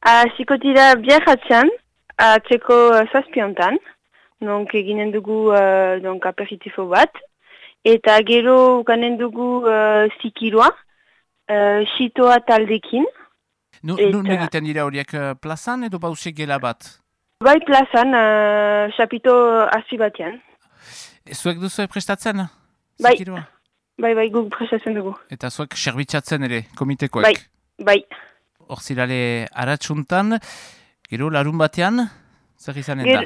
Hasiko dira biarratzen, atzeko zazpiontan, donc eginen dugu aperitifo bat, eta gero ukanen dugu zikiroa, xitoa taldekin. Nun egiten dira horiek plazan edo pausek gela bat? Bai plazan, xapito hasi batean. Zuek duzu prestatzen? Bai, Zikiroa? bai, guk prestatzen dugu. Eta zuek serbitzatzen ere, komitekoek? Bai. Horzilale aratsuntan, gero larun batean, zer izanen da?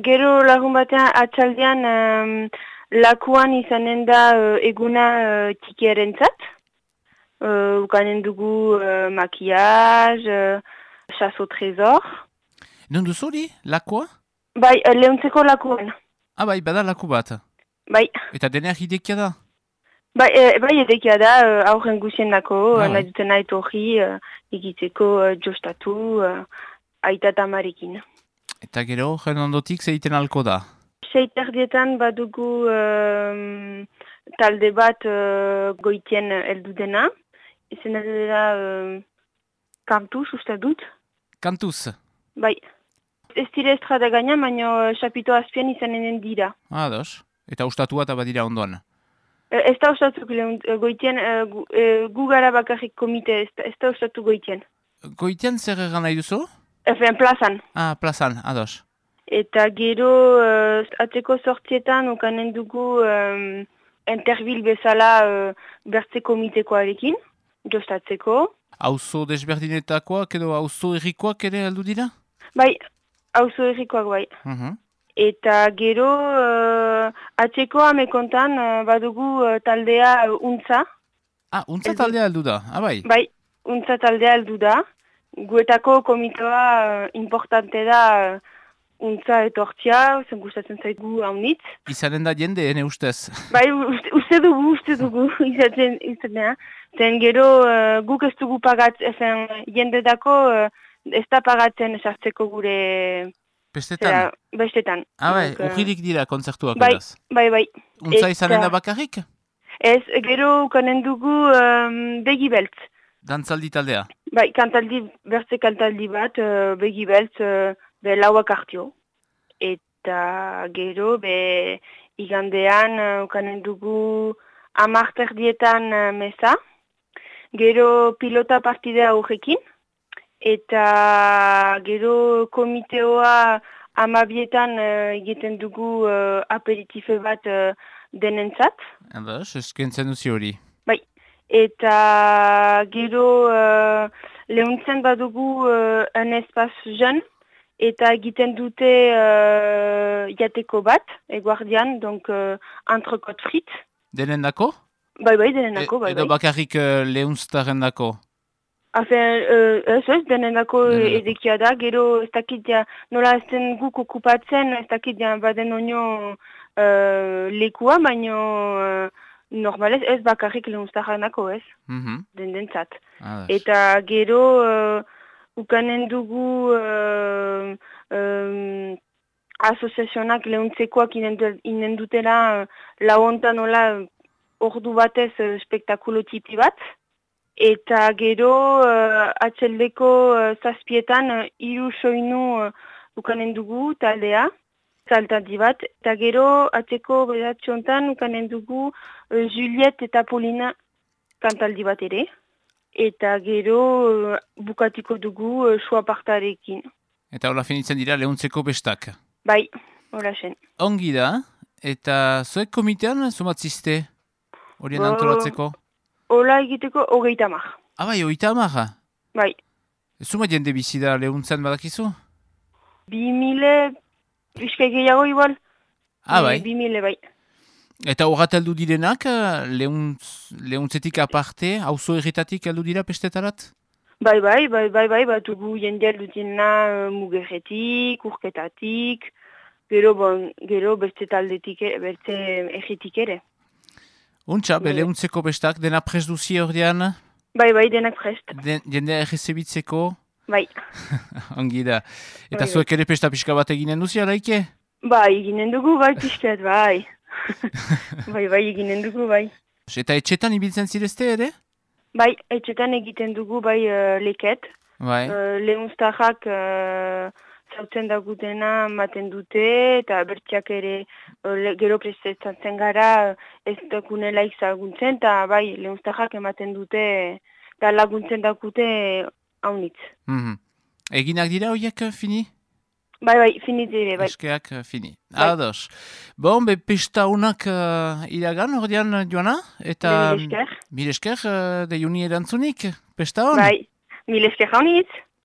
Gero larun batean atxaldean lakuan izanen da eguna txikierentzat. Ukanen dugu makiaz, chasse au trésor. Non duzu hori, lakua? Bai, lehuntzeko lakuan. Bai, bada laku bat. Bai. Eta deneak idekia da? Bai, edekia da, aurren guzien dako, nahi dutena etorri, egiteko jostatu, aita eta amarekin. Eta gero, jen ondotik zeiten alko da? Seiterdietan badugu talde bat goitien heldu dena. Izena dela kantuz, uste dut. Kantuz? Bai. Ez dira estrada gaina, baina xapito azpian izanen dira. Ados. Eta ustatua eta badira ondoan? Ez da ustatuk goitien, gu gara bakarrik komite, ez da ustatu goitien. Goitien zer egan nahi duzu? Efen, plazan. Plazan, ados. Eta gero, atzeko sortzietan, ukanen dugu interbil bezala bertze komitekoarekin, jostatzeko. Auzo desberdinetakoak edo auzo errikoak ere aldu dira? Bai, auzo errikoak bai. Eta gero, atzeko amekontan badugu taldea untza. Untza taldea aldu da, bai? Bai, untza taldea aldu da. Guetako komitoa importante da untza etortzia, zen gustatzen zaigu haunitz. Izanen da jende, ene ustez? Bai, uste dugu, izatea. Zen gero guk ez dugu pagatzen, jende dako ez da pagatzen sartzeko gure... Bestetan? Bestetan. Bai, urririk dira kontzertuak edaz? Bai. Untza izanen da bakarrik? Ez, gero ukanen dugu begi beltz. Dantzaldi taldea? Bai, bertze kantaldi bat, begi beltz, lauak hartio. Eta gero, igandean ukanen dugu 10:00 meza. Gero pilota partidea horrekin. Eta gero komiteoa 12:00 egiten dugu aperitife bat denentzat. Eskentzen duzi hori. Bai. Eta gero lehuntzen badugu un espaz jen. Eta egiten dute jateko bat, eguardian, donc entrecot frit. Denen dako? Bai, denen dako, bai. Edo bakarrik lehunztaren dako? Ez, denen dako edekia da, gero ez dakit nola ez den guk okupatzen, ez dakit baden onio lekua, baina normalez ez bakarrik lehunztaren dako, ez? Dendentzat. Eta gero... Ukanen dugu asoziazionak lehuntzekoak inen dutela lauontan nola ordu batez spektakulo tipi bat. Eta gero atxeldeko zazpietan 3 soinu ukanen dugu taldea, saltaldi bat. Eta gero atzeko bedatxontan ukanen dugu Juliet eta Paulina kantaldi bat ere. Eta gero bukatiko dugu sua partarekin. Eta hola finitzen dira lehuntzeko bestak? Bai, hola zen. Ongi da, eta zuek komitean zumatziste horien antolatzeko? Hola egiteko 30. Bai, 30? Bai. Zuma jende bizi da lehuntzen badakizu? 2000, pixka gehiago igual. Bai? 2000, bai. Eta horret aldu direnak, lehuntzetik aparte, auzo erretatik aldu dira pestetarat? Bai, batugu jende aldu direna mugerretik, urketatik, gero beste taldetik, beste erretik ere. Untxa, lehuntzeko bestak, dena prest duzi ordean? Bai, denak prest. Jende errezebitzeko? Bai. Ongi da. Eta zuek ere pesta pixka bat eginen duzi, alaike? Bai, eginen dugu, bai, pixkat, bai. Bai, eginen dugu, bai. Eta etxetan ibiltzen zirezte ere? Bai, etxetan egiten dugu, bai, leket. Bai. Lehunztarrak zautzen dagutena maten dute, eta bertxak ere gero prestatzen gara ez dakunela izaguntzen, eta bai, lehunztarrak ematen dute, eta laguntzen dakute haunitz. Eginak dira horiek fini? Bai, fini dire, bai. Eskeak fini. Bai. Ados. Bon, pesta honak iragan, ordean joana? Eta Mil esker. Mil esker, de juni erantzunik, pesta hon? Bai, mil esker haunitz.